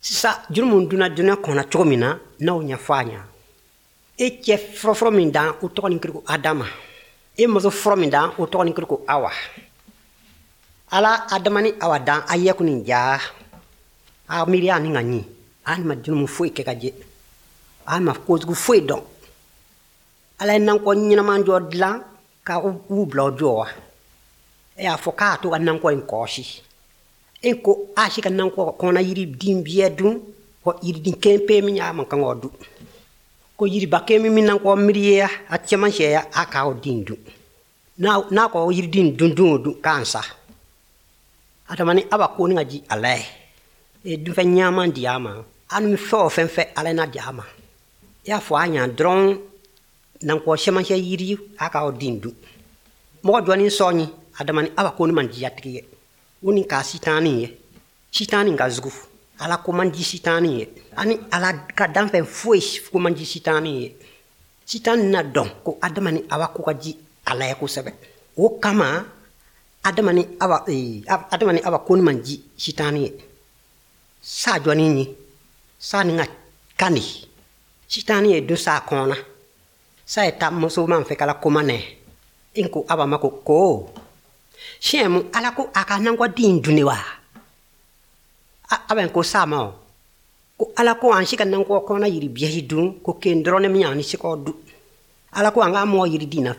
Sisan jurumu donna dunya kɔnɔ cogo min na, n'aw ɲɛfɔ a ɲa. E cɛ fɔlɔfɔlɔ min dan, o tɔgɔ ni kiri ko Adama. E muso fɔlɔ min dan, o tɔgɔ ni kiri ko Awa. Ala Adama ni Awa dan a yɛkun nin ja. A miiriya ni ka ɲi. A ma jurumu foyi kɛ ka jɛ. A ma kojugu foyi dɔn. Ala ye nankɔ ɲɛnama jɔ dilan ka u bila o jɔ wa. E y'a fɔ k'a to ka nankɔ in kɔlɔsi. E ko a si ka nankɔ kɔnɔ yiriden biyɛ dun, ko yiriden kelen pe min y'a man kan k'o dun. Ko yiriba kelen min nankɔ miiri ye a cɛmancɛ ya, a k'o den dun. N'a ko yiriden dun dun o dun k'an sa. Adama ni Awa ko ni ka ji ala ye. E dunfɛn ɲaman di a ma. An bɛ fɛn o fɛn fɛ ala n'a di a ma. I y'a fɔ a ɲa dɔrɔn nankɔ cɛmancɛ yiri a k'o den dun. Mɔgɔ jɔnni sɔnni Adama ni Awa ko ni man diya tigi ye. O ni ka sitani ye. Sitani ka jugu. Ala ko man di sitani ye. Ani ala ka danfɛn foyi ko man di sitani ye. Sitani na dɔn ko Adama ni Awa ko ka di ala ye kosɛbɛ. O kama Adama ni Awa, Adama ni Awa ko ni man di sitani ye. Sa jɔnni ye. Sa ni ka kan di. Sitani ye dun sa kɔnɔ. Sa ye taa muso man fɛ kala koma nɛ. I ko Awa ma ko ko. Siɲɛ mu ala ko a ka nankɔ den dun ne wa? Awa ko sa ma o. Ko ala ko an si ka nankɔ kɔnɔ yiri biɲɛ dun, ko ken dɔrɔn ne min y'an ni se k'o dun. Ala ko an ka mɔgɔ yiri den na.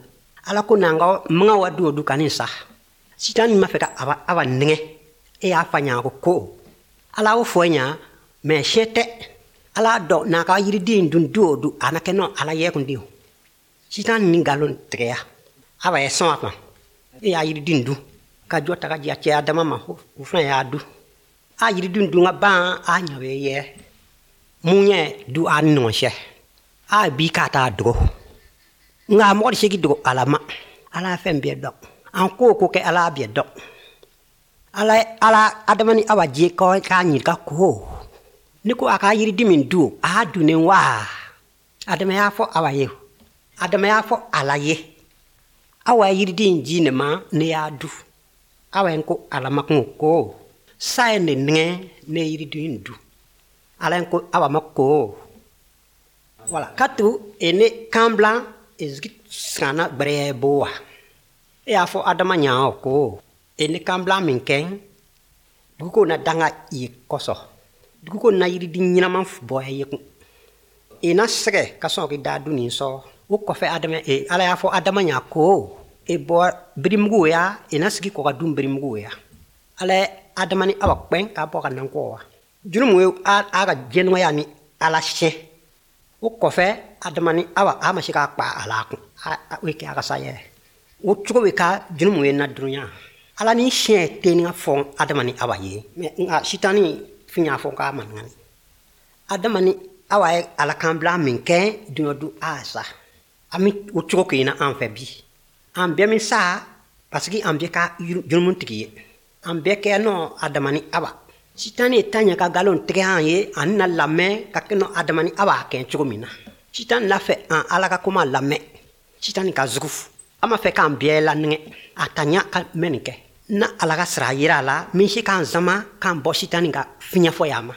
Ala ko n'an ka maga wa du o du ka nin sa. Sitani ma fɛ ka Awa nɛgɛ. E y'a fa ɲa ko ko. Ala y'o fɔ ɲa, mɛ siɲɛ tɛ. Ala dɔn n'a ka yiriden dun du o du, a na kɛ nɔ ala yɛ kun den. Sitani ni nkalon tigɛya. Awa ye sɔn a ma. E y'a yiriden dun. Ka jɔ ta ka di a cɛ Adama ma, o fana y'a dun. A yiriden dun ka ban, a ɲa bɛ yɛ. Mun ɲɛ du a ni ɲɔgɔn cɛ. A bi k'a t'a dogo. Nka mɔgɔ tɛ se k'i dogo Ala ma. Ala ye fɛn bɛɛ dɔn. An ko o ko kɛ Ala bɛɛ dɔn. Ala ye Ala Adama ni Awa jɛ k'a ɲininka ko ne ko a ka yiriden min dun, a y'a dunnen wa? Adama y'a fɔ Awa ye. Adama y'a fɔ Ala ye. Awa ye yiriden ji ne ma, ne y'a dun. Awa ye ko Ala ma kun ko sa ye ne nɛgɛ, ne ye yiriden dun. Ala ye ko Awa ma ko. Wala katu e ne kan bila e zigi sanna gbɛrɛ bo wa. E y'a fɔ Adama ɲa o ko e ne kan bila min kɛ, dugu na danga i ye kɔsɔn. Dugu na yiriden ɲɛnama bɔ e ye kun. E na sɛgɛ ka sɔn k'i da dun nin sɔrɔ. O kɔfɛ Adama, e Ala y'a fɔ Adama ɲa ko e bɔ birimugu ya, e na sigi kɔ ka dun birimugu ya. Ala ye Adama ni Awa kpɛn k'a bɔ ka nan kɔ wa. Jurumu ye a ka jɛnɔgɔya ni Ala siɲɛ. O kɔfɛ Adama ni Awa a ma se k'a kpa a la kun. O ye kɛ a ka sa yɛrɛ. O cogo bɛ ka jurumu ye na dunuya. Ala ni siɲɛ tɛ ni ka fɔ Adama ni Awa ye. Mɛ nka sitani fin y'a fɔ k'a ma ŋani. Adama ni Awa ye Ala kan bila min kɛ dunya du a sa. An bɛ o cogo kɛ na an fɛ bi. An bɛɛ min sa parce que an bɛɛ ka jurumu tigi ye. An bɛɛ kɛ nɔ Adama ni Awa. Sitani ye ta ɲɛ ka nkalon tigɛ an ye ani na lamɛn ka kɛ nɔ Adama ni Awa kɛ cogo min na. Sitani la fɛ an Ala ka kuma lamɛn. Sitani ka jugu. A ma fɛ k'an bɛɛ lanɛgɛ. A ta ɲa ka mɛn nin kɛ. Na Ala ka sira yira a la min se k'an sama k'an bɔ sitani ka fiɲɛ fɔ ya ma.